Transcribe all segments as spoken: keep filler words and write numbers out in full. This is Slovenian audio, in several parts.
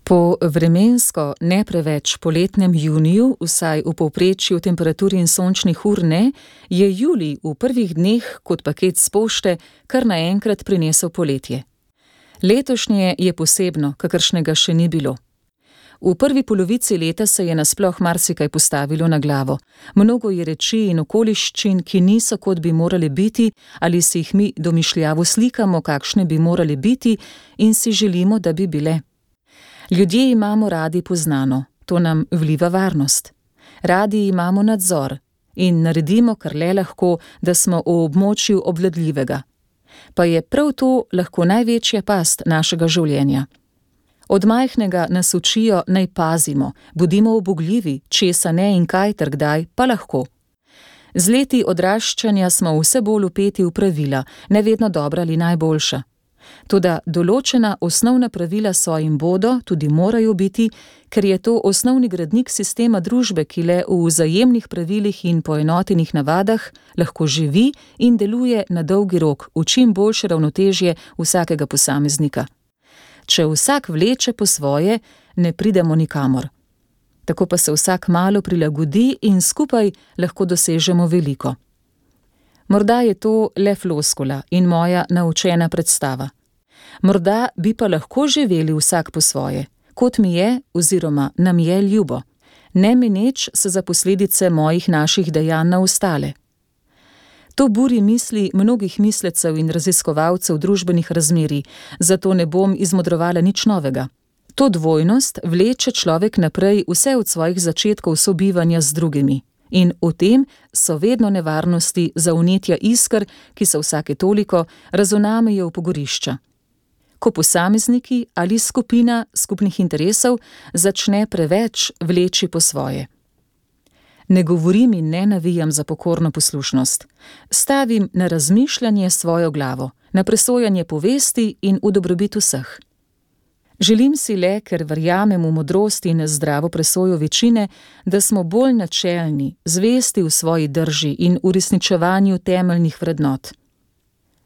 Po vremensko ne preveč poletnem juniju, vsaj v povprečju temperaturi in sončnih ur ne, je julij v prvih dneh kot paket s pošte kar naenkrat prinesel poletje. Letošnje je posebno, kakršnega še ni bilo. V prvi polovici leta se je nasploh marsikaj postavilo na glavo. Mnogo je reči in okoliščin, ki niso, kot bi morali biti, ali si jih mi domišljavo slikamo, kakšne bi morali biti in si želimo, da bi bile. Ljudje imamo radi poznano, to nam vliva varnost. Radi imamo nadzor in naredimo, kar le lahko, da smo v območju obvladljivega. Pa je prav to lahko največja past našega življenja. Od majhnega nas učijo, naj pazimo, bodimo ubogljivi, česa ne in kaj ter kdaj, pa lahko. Z leti odraščanja smo vse bolj vpeti v pravila, ne vedno dobra ali najboljša. Toda določena osnovna pravila so in bodo, tudi morajo biti, ker je to osnovni gradnik sistema družbe, ki le v vzajemnih pravilih in poenotenih navadah lahko živi in deluje na dolgi rok v čim boljše ravnotežje vsakega posameznika. Če vsak vleče po svoje, ne pridemo nikamor. Tako pa se vsak malo prilagodi in skupaj lahko dosežemo veliko. Morda je to le floskula in moja naučena predstava. Morda bi pa lahko živeli vsak po svoje, kot mi je oziroma nam je ljubo, ne meneč se za posledice mojih naših dejanj na ostale. To buri misli mnogih mislecev in raziskovalcev družbenih razmerij, zato ne bom izmodrovala nič novega. To dvojnost vleče človek naprej vse od svojih začetkov sobivanja z drugimi. In v tem so vedno nevarnosti za vnetja isker, ki se vsake toliko razunamejo v pogorišča. Ko posamezniki ali skupina skupnih interesov začne preveč vleči po svoje. Ne govorim in ne navijam za pokorno poslušnost. Stavim na razmišljanje svojo glavo, na presojanje povesti in v dobrobit vseh. Želim si le, ker verjamem v modrost in zdravo presojo večine, da smo bolj načelni, zvesti v svoji drži in uresničevanju temeljnih vrednot.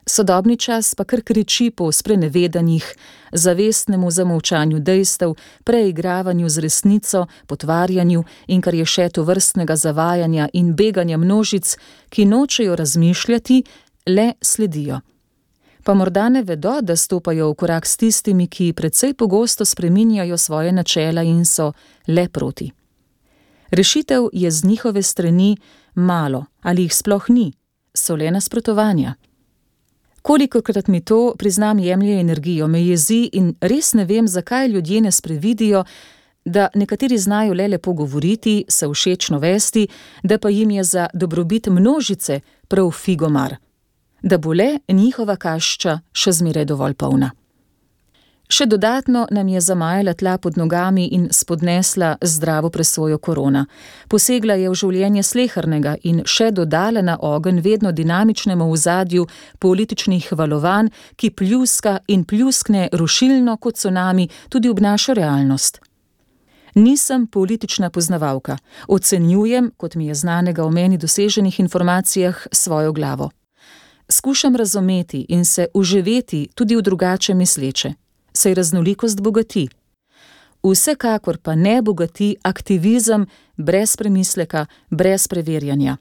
Sodobni čas pa kar kriči po sprenevedanjih, zavestnemu zamolčanju dejstev, preigravanju z resnico, potvarjanju in kar je še tovrstnega zavajanja in beganja množic, ki nočejo razmišljati, le sledijo. Pa morda ne vedo, da stopajo v korak s tistimi, ki precej pogosto spreminjajo svoje načela in so le proti. Rešitev je z njihove strani malo, ali jih sploh ni, so le nasprotovanja. Kolikokrat mi to, priznam, jemlje energijo, me jezi in res ne vem, zakaj ljudje ne sprevidijo, da nekateri znajo le lepo govoriti, se všečno vesti, da pa jim je za dobrobit množice prav figomar. Da bo le njihova kašča še zmeraj dovolj polna. Še dodatno nam je zamajala tla pod nogami in spodnesla zdravo presojo korona. Posegla je v življenje slehernega in še dodala na ogenj vedno dinamičnemu ozadju političnih valovanj, ki pljuska in pljuskne rušilno kot cunami tudi ob našo realnost. Nisem politična poznavalka, ocenjujem, kot mi je znanega o meni doseženih informacijah, svojo glavo. Skušam razumeti in se uživeti tudi v drugače misleče, saj raznolikost bogati. Vsekakor pa ne bogati aktivizem brez premisleka, brez preverjanja.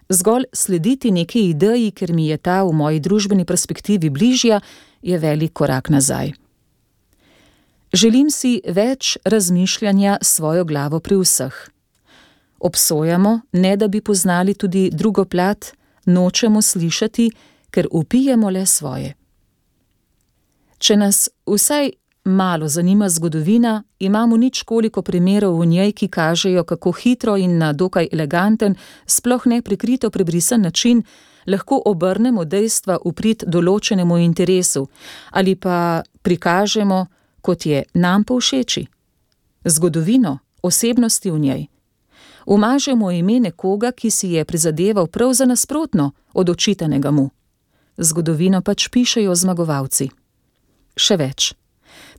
Zgolj slediti neki ideji, ker mi je ta v moji družbeni perspektivi bližja, je velik korak nazaj. Želim si več razmišljanja s svojo glavo pri vseh. Obsojamo, ne da bi poznali tudi drugo plat, nočemo slišati, ker upijemo le svoje. Če nas vsaj malo zanima zgodovina, imamo nič koliko primerov v njej, ki kažejo, kako hitro in na dokaj eleganten, sploh ne prikrito prebrisan način, lahko obrnemo dejstva v prid določenemu interesu ali pa prikažemo, kot je nam povšeči. Zgodovino, osebnosti v njej. Umažemo ime nekoga, ki si je prizadeval prav za nasprotno od očitanega mu. Zgodovino pač pišejo zmagovalci. Še več.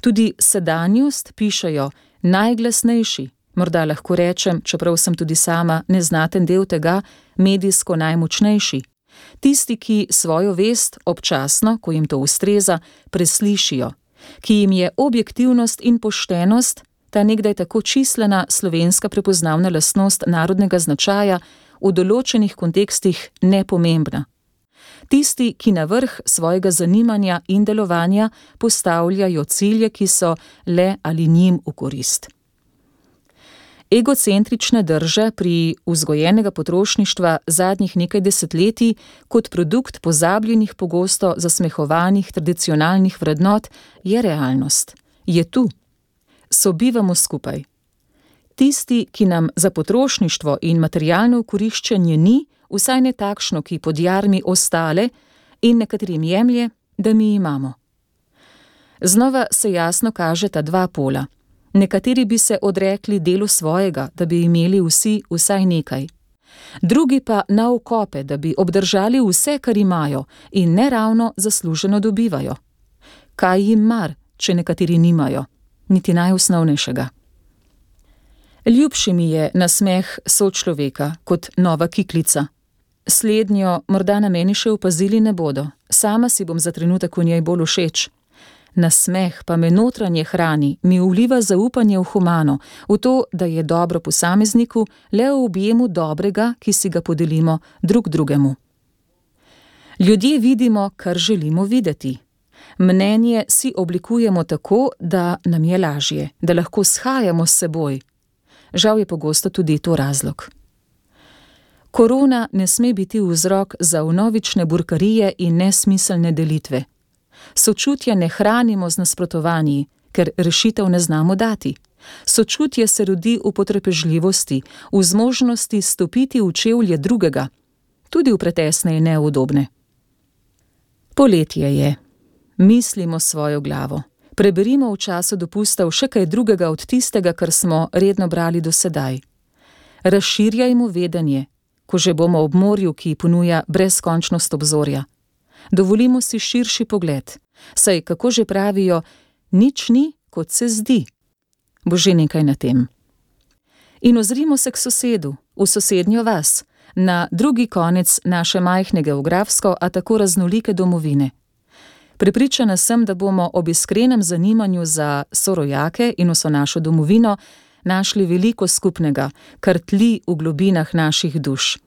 Tudi sedanjost pišejo najglasnejši, morda lahko rečem, čeprav sem tudi sama neznaten del tega, medijsko najmočnejši. Tisti, ki svojo vest občasno, ko jim to ustreza, preslišijo, ki jim je objektivnost in poštenost, ta nekdaj tako čislena slovenska prepoznavna lastnost narodnega značaja v določenih kontekstih nepomembna. Tisti, ki na vrh svojega zanimanja in delovanja postavljajo cilje, ki so le ali njim v korist. Egocentrične drže pri vzgojenega potrošništva zadnjih nekaj desetletij kot produkt pozabljenih, pogosto zasmehovanih tradicionalnih vrednot je realnost. Je tu. Sobivamo skupaj. Tisti, ki nam za potrošništvo in materialno okoriščenje ni, vsaj ne takšno, ki pod jarmi ostale in nekaterim jemlje, da mi imamo. Znova se jasno kažeta dva pola. Nekateri bi se odrekli delu svojega, da bi imeli vsi vsaj nekaj. Drugi pa na okope, da bi obdržali vse, kar imajo in neravno zasluženo dobivajo. Kaj jim mar, če nekateri nimajo? Niti najosnovnejšega. Ljubši mi je nasmeh sočloveka kot nova kiklica. Slednjo morda na meni še opazili ne bodo, sama si bom za trenutek v njej bolj všeč. Nasmeh pa me notranje hrani, mi vliva zaupanje v humano, v to, da je dobro posamezniku le v objemu dobrega, ki si ga podelimo drug drugemu. Ljudje vidimo, kar želimo videti. Mnenje si oblikujemo tako, da nam je lažje, da lahko shajamo s seboj. Žal je pogosto tudi to razlog. Korona ne sme biti vzrok za vnovične burkarije in nesmiselne delitve. Sočutja ne hranimo z nasprotovanji, ker rešitev ne znamo dati. Sočutje se rodi v potrpežljivosti, v zmožnosti stopiti v čevlje drugega, tudi v pretesne in neudobne. Poletje je. Mislimo svojo glavo. Preberimo v času dopustov še kaj drugega od tistega, kar smo redno brali do sedaj. Razširjajmo vedenje, ko že bomo ob morju, ki ponuja brezkončnost obzorja. Dovolimo si širši pogled, saj, kako že pravijo, nič ni, kot se zdi. Bo že nekaj na tem. In ozrimo se k sosedu, v sosednjo vas, na drugi konec naše majhne geografsko, a tako raznolike domovine. Prepričana sem, da bomo ob iskrenem zanimanju za sorojake in vso našo domovino našli veliko skupnega, kar tli v globinah naših duš.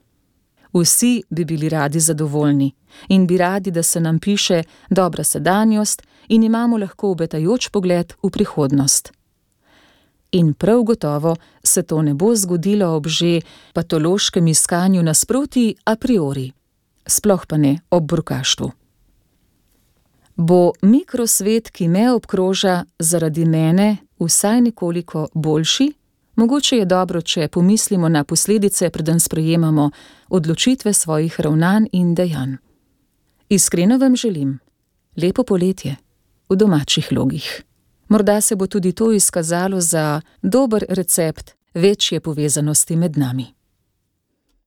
Vsi bi bili radi zadovoljni in bi radi, da se nam piše dobra sedanjost in imamo lahko obetajoč pogled v prihodnost. In prav gotovo se to ne bo zgodilo ob že patološkem iskanju nasproti a priori, sploh pa ne ob burkaštvu. Bo mikrosvet, ki me obkroža, zaradi mene vsaj nekoliko boljši? Mogoče je dobro, če pomislimo na posledice, preden sprejemamo odločitve svojih ravnanj in dejanj. Iskreno vam želim lepo poletje v domačih logih. Morda se bo tudi to izkazalo za dober recept večje povezanosti med nami.